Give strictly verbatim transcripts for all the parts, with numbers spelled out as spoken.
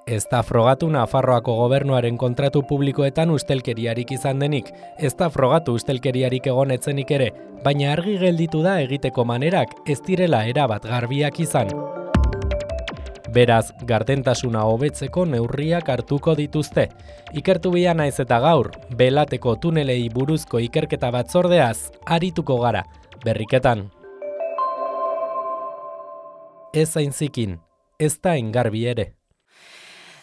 Ez da frogatu Nafarroako gobernuaren kontratu publikoetan ustelkeriarik izan denik, ez da frogatu ustelkeriarik egonetzenik ere, baina argi gelditu da egiteko manerak ez direla erabat garbiak izan. Beraz, gardentasuna hobetzeko neurriak hartuko dituzte. Ikertu bia naiz eta gaur, Belateko tunelei buruzko ikerketa batzordeaz arituko gara, berriketan. Ez aintzikin, ez da engarbi ere.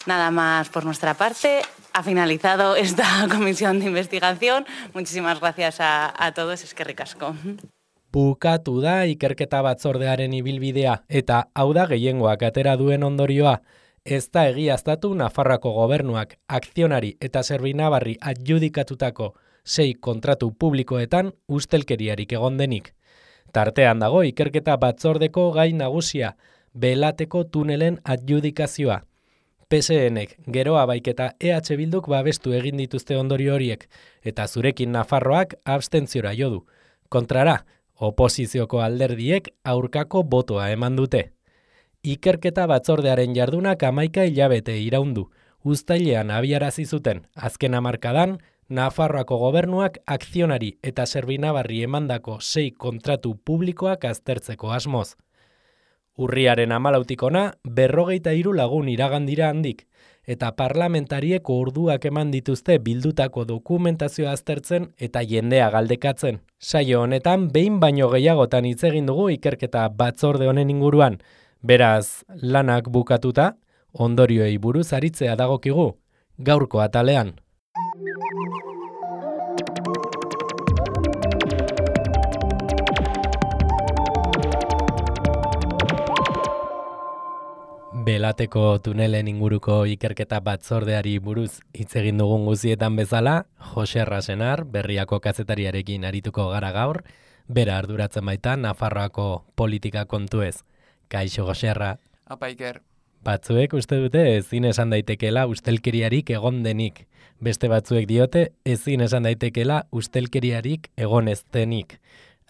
Nada más por nuestra parte. Ha finalizado esta comisión de investigación. Muchísimas gracias a, a todos. Eskerrik asko. Bukatu da ikerketa batzordearen ibilbidea, eta hau da gehiengoak atera duen ondorioa. Ez da egiaztatu Nafarroako gobernuak akzionari eta Zerbinabarri adjudikatutako sei kontratu publikoetan ustelkeriarik egon denik. Tartean dago ikerketa batzordeko gai nagusia, Belateko tunelen adjudikazioa. P S Nek geroa baiketa E H Bilduk babestu egin dituzte ondorio horiek, eta zurekin Nafarroak abstentziora jo du. Kontrara, oposizioko alderdiek aurkako botoa eman dute. Ikerketa batzordearen jardunak hamaika hilabete iraundu. Uztailean abiarazi zuten, azken hamarkadan, Nafarroako gobernuak akzionari eta Zerbinabarri emandako sei kontratu publikoak aztertzeko asmoz. Urriaren hamalautik ona, berrogeita hiru lagun iragan dira handik, eta parlamentariek orduak eman dituzte bildutako dokumentazioa aztertzen eta jendea galdekatzen. Saio honetan, behin baino gehiagotan hitz egin dugu ikerketa batzorde honen inguruan. Beraz, lanak bukatuta, ondorioei buruz aritzea dagokigu, gaurko atalean. Belateko tunelen inguruko ikerketa batzordeari buruz hitz egin dugun guzietan bezala, Jose Arrasenar, Berriako kazetariarekin arituko gara gaur, bera arduratzen baita Nafarroako politika kontuez. Kaixo, Jose Arra. Apa, Iker. Batzuek uste dute ezin esan daitekela ustelkeriarik egon denik. Beste batzuek diote ezin esan daitekela ustelkeriarik egon ez denik.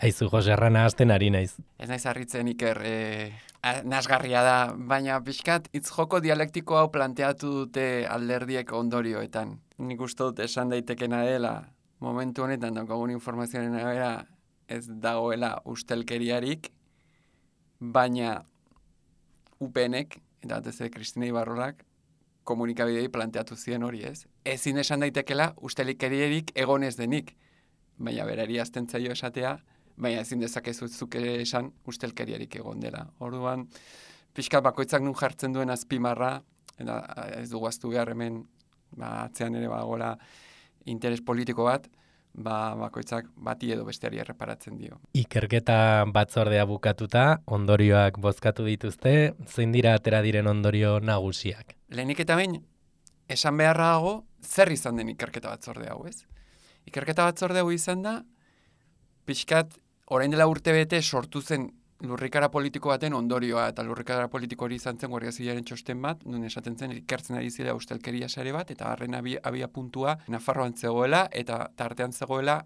Aizu, Jose Arra, nahazten ari naiz. Ez naiz harritzen, Iker, e, nasgarria da, baina pixkat hitz joko dialektiko hau planteatu dute alderdiek ondorioetan. Nik uste dut esan daitekena dela, momentu honetan daukagun informazioaren arabera ez dagoela ustelkeriarik, baina U P Nek, eta batez ere Kristina Ibarrorak, komunikabidei planteatu ziren hori ez. Ezin esan daitekela ustelkeriarik egon ez denik, baina berari azten zaio esatea, baina ezin dezakezu zuk esan ustelkeriarik egon dela. Orduan, pixkat bakoitzak nun jartzen duen azpimarra, eta ez dugu aztu behar hemen, ba, atzean ere bagola interes politiko bat, ba, bakoitzak bati edo besteari erreparatzen dio. Ikerketa batzordea bukatuta, ondorioak bozkatu dituzte, zein dira atera diren ondorio nagusiak? Lehenik eta behin, esan beharra dago, zer izan den ikerketa batzorde hau, ez? Ikerketa batzorde hau izan da, pixkat, orain dela urte bete sortu zen lurrikara politiko baten ondorioa, eta lurrikara politiko hori izan zen Guardia Zibilaren txosten bat, nun esaten zen ikertzen ari zela ustelkeria sare bat, eta harren abia, abia puntua Nafarroan zegoela, eta tartean zegoela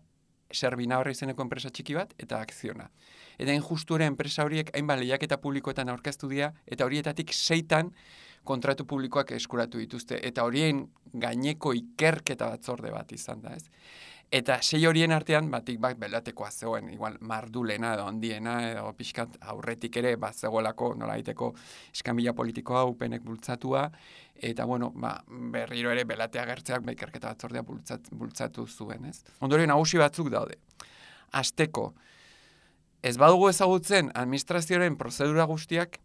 Zerbinabarri izeneko enpresa txiki bat, eta akziona. Eta injusture enpresa horiek hainbat lehiaketa publikoetan aurkeztu dira, eta horietatik seitan kontratu publikoak eskuratu dituzte, eta horien gaineko ikerketa batzorde bat izan da, ez? Eta sei horien artean, batik bat Belatekoa zegoen, igual mardulena edo handiena, edo pixkat aurretik ere, bat zegoelako nola egiteko eskamila politikoa, U P Nek bultzatua, eta bueno, ba, berriro ere Belatea gertzeak ikerketa batzordea bultzat, bultzatu zuen, ez? Ondorio nagusi batzuk daude. Hasteko, ez badugu ezagutzen administrazioaren prozedura guztiak,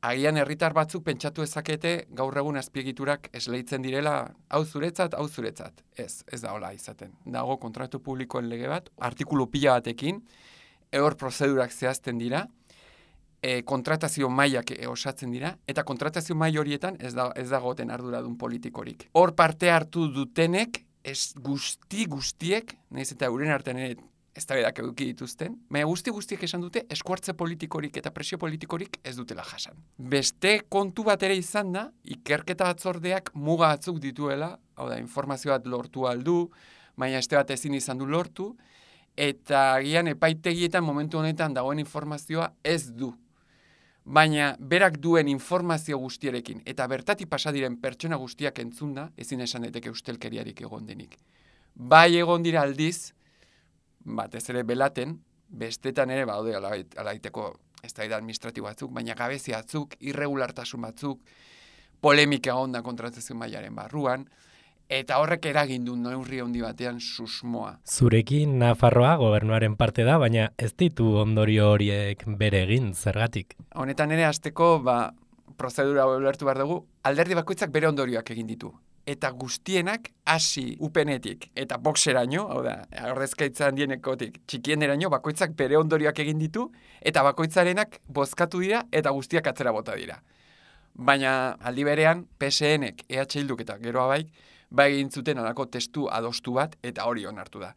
agian herritar batzuk pentsatu ezakete gaur egun azpiegiturak esleitzen direla hau zuretzat, hau zuretzat. Ez, ez da hola izaten. Dago kontratu publikoen lege bat, artikulu pila batekin, ehor prozedurak zehazten dira, e, kontratazio mailak e, osatzen dira, eta kontratazio mail horietan ez, da, ez dagoten arduradun politikorik. Hor parte hartu dutenek, ez guzti guztiek, nahiz eta euren artean ere eztabaidak eduki dituzten, baina guzti guztiek esan dute eskuartze politikorik eta presio politikorik ez dutela jasan. Beste kontu bat ere izan da, ikerketa batzordeak muga batzuk dituela, hau da, informazio bat lortu aldu, baina este bat ezin izan du lortu, eta agian epaitegietan momentu honetan dagoen informazioa ez du baina berak duen informazio guztiarekin eta bertatik pasa diren pertsona guztiak entzunda, ezin esan daiteke ustelkeriarik egon denik. Bai egon dira aldiz, batez ere belaten, bestetan ere baude alaiteko ez da administratibo batzuk, baina gabezia batzuk, irregulartasun batzuk, polemika onda kontratazio mailaren barruan, eta horrek eragin du neurri handi batean susmoa. Zurekin Nafarroa gobernuaren parte da, baina ez ditu ondorio horiek bere egin, zergatik? Honetan ere hasteko, ba, prozedura ulertu behar dugu, alderdi bakoitzak bere ondorioak egin ditu. Eta guztienak hasi upenetik eta boxeraino, hau da, ordezkaitza handienekotik txikieneraino, bakoitzak bere ondorioak egin ditu, eta bakoitzarenak bozkatu dira eta guztiak atzera bota dira. Baina aldi berean, P S N-ek, E H Bilduk eta Geroa Baik, bai egin zuten alako testu adostu bat, eta hori onartu da.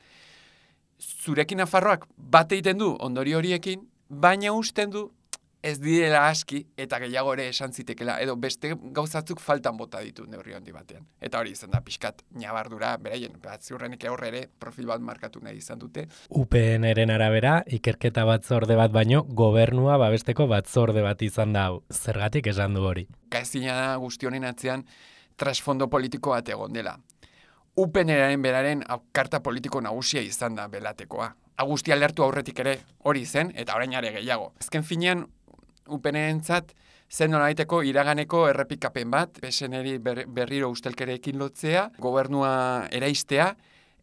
Zurekin Nafarroak bat egiten du ondorio horiekin, baina usten du ez direla aski eta gehiago ere esan zitekela, edo beste gauzatzuk faltan bota ditu neurri handi batean. Eta hori izan da pixkat nabardura, beraien, bat ziurrenik aurre ere profil bat markatu nahi izan dute. U P N-eren arabera, ikerketa batzorde bat baino, gobernua babesteko batzorde bat izan da hau. Zergatik esan du hori? Gaizina da guzti honen atzean trasfondo politiko bat egon dela. U P N-eren beraren karta politiko nagusia izan da belatekoa. Agustia lertu aurretik ere hori zen, eta orain are gehiago. Azken finean, U P N-entzat zen nolaiteko iraganeko errepikapen bat, P S N-eri berriro ustelkerekin lotzea, gobernua eraistea,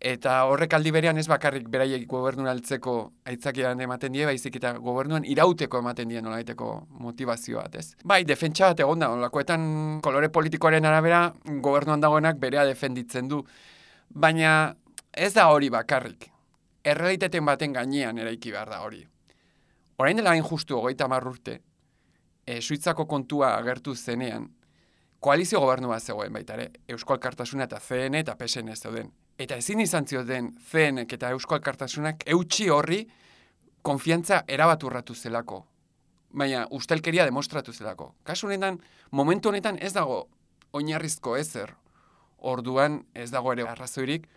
eta horrek aldi berean ez bakarrik beraiek gobernura altzeko aitzakian ematen die, baizik eta gobernuan irauteko ematen die nolaiteko motivazio bat, ez? Bai, defentsa bat egon da, olakoetan kolore politikoaren arabera gobernuan dagoenak berea defenditzen du, baina ez da hori bakarrik. Errealitateen baten gainean eraiki behar da hori. Orain dela hain justu hogeita hamar urte, E, Suitzako kontua agertu zenean, koalizio gobernu bat zegoen baita ere, Eusko Alkartasuna eta C N eta P S N zeuden. Eta ezin izan zioten C N eta Eusko Alkartasunak eutsi horri konfiantza erabat urratu zelako. Baina ustelkeria demostratu zelako. Kasu honetan, momentu honetan ez dago oinarrizko ezer. Orduan ez dago ere arrazoirik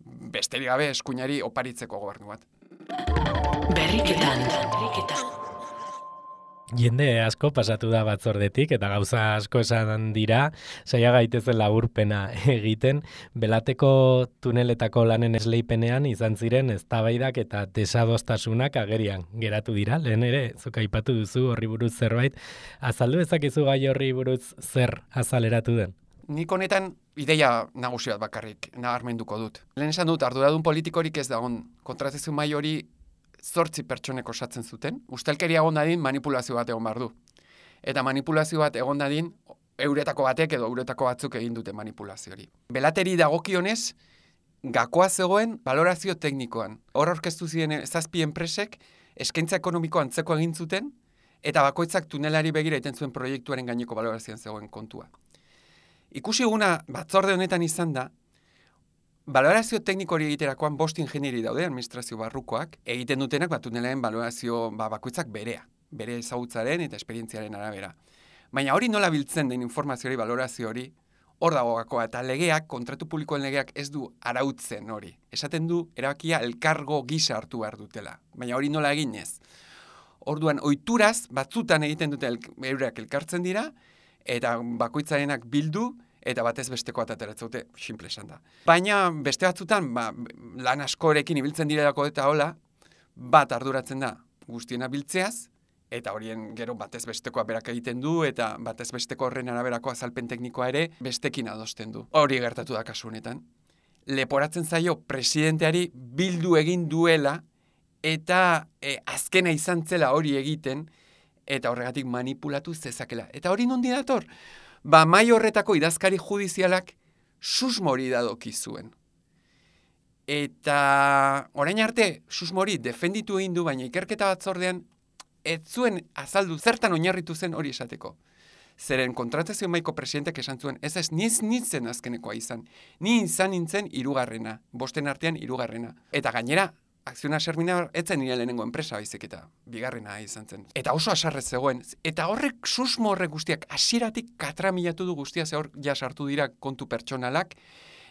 besterik gabe eskuinari oparitzeko gobernu bat. Berriketan, berriketan. Jende asko pasatu da batzordetik eta gauza asko esan dira, saia gaitezen laburpena egiten, belateko tuneletako lanen esleipenean izan ziren eztabaidak eta desadostasunak agerian geratu dira. Lehen ere, zuk aipatu duzu horri buruz zerbait, azaldu ezakizu gai horri buruz zer azaleratu den? Nik honetan ideia nagusi bat bakarrik nabarmenduko dut. Lehen esan dut, arduradun politikorik ez dagoen kontratazio mahai hori zortzi pertsonek osatzen zuten, ustelkeria egon dadin manipulazio bat egon behar du. Eta manipulazio bat egon dadin euretako batek edo euretako batzuk egin dute manipulazio hori. Belateri dagokionez, gakoa zegoen valorazio teknikoan. Hor aurkeztu ziren zazpi enpresek eskaintza ekonomiko antzeko egin zuten, eta bakoitzak tunelari begira egiten zuen proiektuaren gaineko valorazioan zegoen kontua. Ikusi eguna batzorde honetan izan da, valorazio tekniko hori egiterakoan bost ingenieri daude, administrazio barrukoak, egiten dutenak bat tunelaren valorazio ba, bakoitzak berea, bere ezagutzaren eta esperientziaren arabera. Baina hori nola biltzen den informazio hori, valorazio hori, hor dago gakoa, eta legeak, kontratu publikoen legeak ez du arautzen hori. Esaten du, erabakia elkargo gisa hartu behar dutela, baina hori nola eginez. Orduan, ohituraz batzutan egiten dute el, eurak elkartzen dira, eta bakoitzarenak bildu, eta batez besteko ateratzute, simple esan da. Baina beste batzutan, ba, lan askorekin ibiltzen direlako eta hola, bat arduratzen da guztiena biltzeaz, eta horien gero batez bestekoa berak egiten du, eta batez besteko horren araberako azalpen teknikoa ere bestekin adosten du. Hori gertatu da kasu honetan. Leporatzen zaio presidenteari bildu egin duela, eta e, azkena izan zela hori egiten, eta horregatik manipulatu zezakela. Eta hori nondi dator? Ba, mai horretako idazkari judizialak susmori dadoki zuen. Eta orain arte susmori defenditu egin du, baina ikerketa batzordean ez zuen azaldu zertan oinarritu zen hori esateko. Zeren kontratazio maiko presidentek esan zuen, ez ez, niz nintzen azkenekoa izan. Ni izan nintzen hirugarrena, bosten artean hirugarrena. Eta gainera, Akziona Sermina etzen nire lehenengo enpresa baizik eta bigarrena izan zen. Eta oso asarrez zegoen. Eta horrek susmo horrek guztiak hasieratik katramilatu du guztia, ze hor ja sartu dira kontu pertsonalak,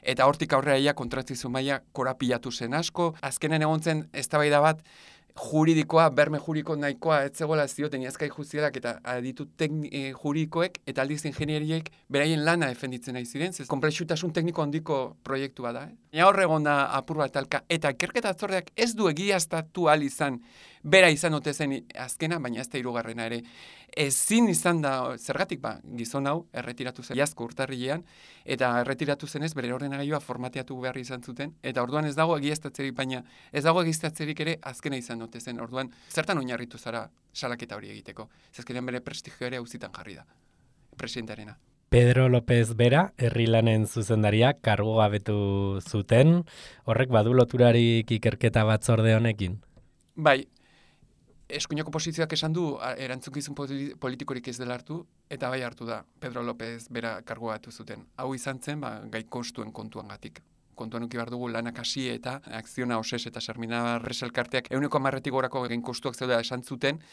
eta hortik aurrera ia kontratazio maila korapilatu zen asko. Azkenen egon zen eztabaida bat juridikoa, berme juridiko nahikoa etzegoela zioten iazkai juzialak eta aditu tekni, juridikoek eta aldiz ingenieriek beraien lana defenditzen nahi ziren, zez konplexutasun tekniko handiko proiektua da. Eh? Ja hor egon da apur bat talka, eta ikerketa batzordeak ez du egiaztatu ahal izan, bera izan ote zen azkena, baina ez da hirugarrena ere. Ezin izan da, zergatik ba, gizon hau, erretiratu zen iazko urtarrilean, eta erretiratu zenez bere ordenagailua formateatu behar izan zuten, eta orduan ez dago egiaztatzerik, baina ez dago egiaztatzerik ere azkena izan ote zen, orduan zertan oinarritu zara salaketa hori egiteko. Zezkenean bere prestigio ere auzitan jarri da, presidentarena. Pedro López Bera, herri lanen zuzendaria, kargu gabetu zuten, horrek badu loturarik ikerketa batzorde honekin? Bai, eskuineko posizioak esan du erantzukizun politikorik ez dela hartu, eta bai hartu da Pedro López Bera kargu gabatu zuten. Hau izan zen, ba, gai kostuen kontuangatik. Kontuan uki behar dugu lanak hasi eta Akziona Oses eta Sarminabar Reselkarteak euneko hamarretik gorako gain kostuak zeudela esan zuten,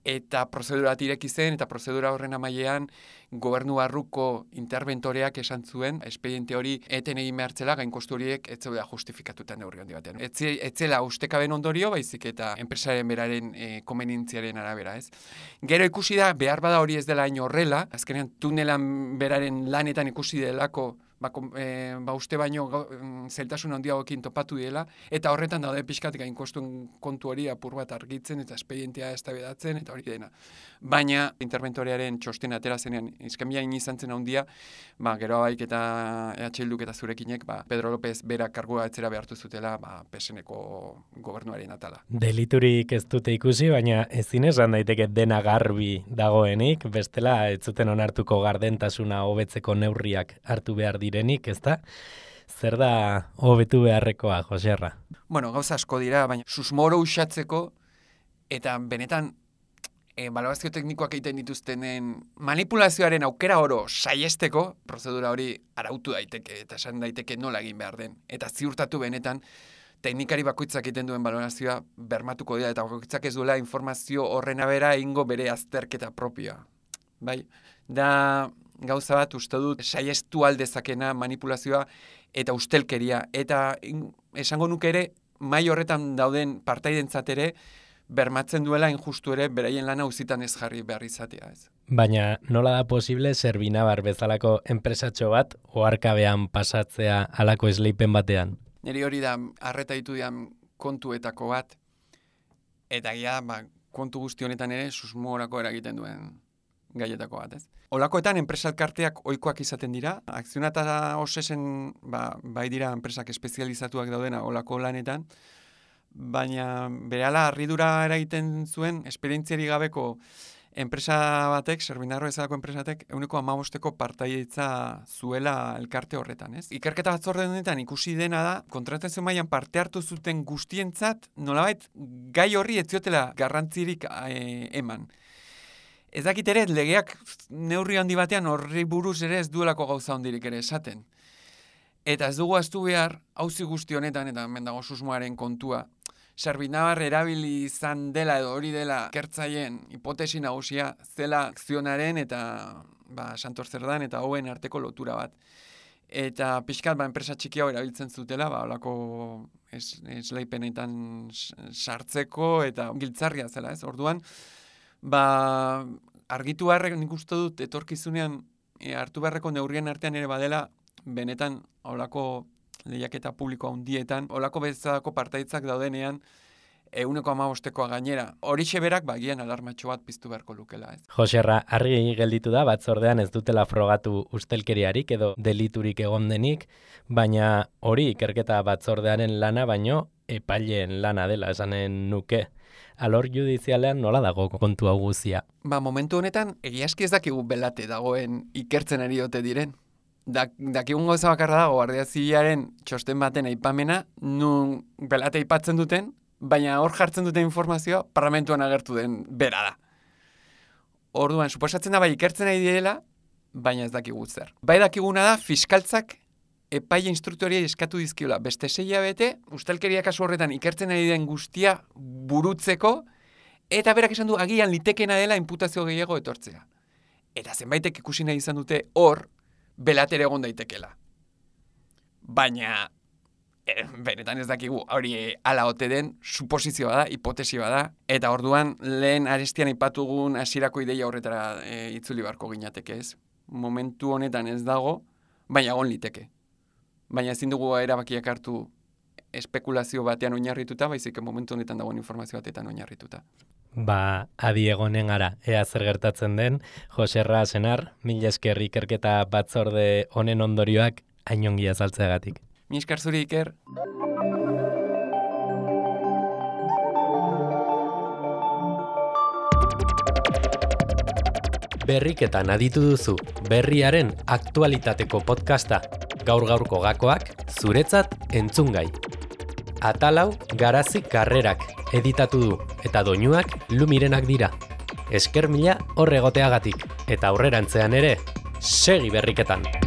eta prozedura bat ireki zen, eta prozedura horren amaiean gobernu barruko interventoreak esan zuen, espediente hori eten egin behartzela, gain kostu horiek ez zeudela justifikatuta neurri handi batean. Etzela ustekaben ondorio, baizik eta enpresaren beraren e, konvenientziaren arabera, ez? Gero ikusi da, behar bada hori ez dela hain horrela, azkenean tunelan beraren lanetan ikusi delako, Ba, e, ba uste baino zeltasun handiagoekin topatu dela, eta horretan daude pixkat gain kostuen kontu hori apur bat argitzen eta espedientea eztabaidatzen eta hori dena. Baina interventorearen txosten atera zenean izkamiain izan zen handia, ba, gero baik eta E H Bilduk eta zurekinek ba, Pedro López Bera kargua etzera behartu zutela ba, P S N-ko gobernuaren atala. Deliturik ez dute ikusi, baina ezin esan daiteke dena garbi dagoenik, bestela ez zuten onartuko gardentasuna hobetzeko neurriak hartu behar direnik, ezta? Zer da hobetu beharrekoa, Joserra? Bueno, gauza asko dira, baina susmoro usatzeko eta benetan e, balorazio teknikoak egiten dituztenen manipulazioaren aukera oro saiesteko, prozedura hori arautu daiteke eta esan daiteke nola egin behar den. Eta ziurtatu benetan teknikari bakoitzak egiten duen balorazioa bermatuko dira eta bakoitzak ez duela informazio horren abera egingo bere azterketa propioa. Bai, da gauza bat uste dut saiestu aldezakena manipulazioa eta ustelkeria. Eta esango nuke ere, mai horretan dauden partaidentzat ere, bermatzen duela injustu ere beraien lana uzitan ez jarri behar izatea. Ez. Baina nola da posible Servinabar bezalako enpresatxo bat oharkabean pasatzea halako esleipen batean? Neri hori da arreta ditu dian kontuetako bat, eta ja, ba, kontu guzti honetan ere susmorako eragiten duen gaietako bat, ez? Olakoetan enpresalkarteak ohikoak izaten dira, Akziona eta Osesen ba, bai dira enpresak espezializatuak daudena olako lanetan, baina berehala harridura eragiten zuen esperientziari gabeko enpresa batek, Servinabar bezalako enpresatek, euneko hamabosteko partaidetza zuela elkarte horretan, ez? Ikerketa batzorde honetan ikusi dena da, kontratazio mailan parte hartu zuten guztientzat, nolabait gai horri ez ziotela garrantzirik e, eman. Ez dakit ere, legeak neurri handi batean horri buruz ere ez duelako gauza hondirik ere esaten. Eta ez dugu aztu behar, auzi guzti honetan, eta hemen dago susmoaren kontua, Servinabar erabili izan dela edo hori dela kertzaien hipotesi nagusia zela Akzionaren eta ba, Santor Zerdan eta hoen arteko lotura bat. Eta pixkat ba, enpresa txiki hau erabiltzen zutela, ba, olako es, esleipenetan sartzeko eta giltzarria zela, ez? Orduan, ba, argitu beharrek nik uste dut etorkizunean e, hartu beharreko neurrien artean ere badela benetan olako lehiaketa publiko handietan, olako bezalako partaitzak daudenean euneko hamabostekoa gainera. Horixe berak bagian alarmatxo bat piztu beharko lukela, ez? Joserra, argi gelditu da batzordean ez dutela frogatu ustelkeriarik edo deliturik egon denik, baina hori ikerketa batzordearen lana baino epaileen lana dela esanen nuke. Alor judizialean nola dago kontu hau guzia? Ba, momentu honetan, egiazki ez dakigu belate dagoen ikertzen ari ote diren. Da, dakigun gauza bakarra dago, Guardia Zibilaren txosten baten aipamena, nun belate aipatzen duten, baina hor jartzen duten informazioa parlamentuan agertu den bera da. Orduan, suposatzen da bai ikertzen ari direla, baina ez dakigu zer. Bai dakiguna da, fiskaltzak epaile instruktoriei eskatu dizkiola. Beste sei hilabete, ustelkeria kasu horretan ikertzen ari den guztia burutzeko, eta berak esan du agian litekena dela inputazio gehiago etortzea. Eta zenbaitek ikusi nahi izan dute hor, belatere egon daitekela. Baina, E, benetan ez dakigu, hori e, ala ote den, suposizioa da, hipotesia da, eta orduan lehen arestian aipatugun hasierako ideia horretara e, itzuli beharko ginateke ez. Momentu honetan ez dago, baina egon liteke. Baina ezin dugu erabakiak hartu espekulazio batean oinarrituta, baizik momentu honetan dagoen informazio batetan oinarrituta. Ba, adi egonen gara, ea zer gertatzen den, Joserra Senar, mila esker ikerketa batzorde honen ondorioak hainongi azaltzeagatik. Mi esker zuri, Iker. Berriketan aditu duzu, berriaren aktualitateko podcasta, gaur-gaurko gakoak, zuretzat entzungai. Atalau Garazi Karrerak editatu du, eta doinuak Lumirenak dira. Esker mila hor egoteagatik, eta aurrerantzean ere, segi berriketan!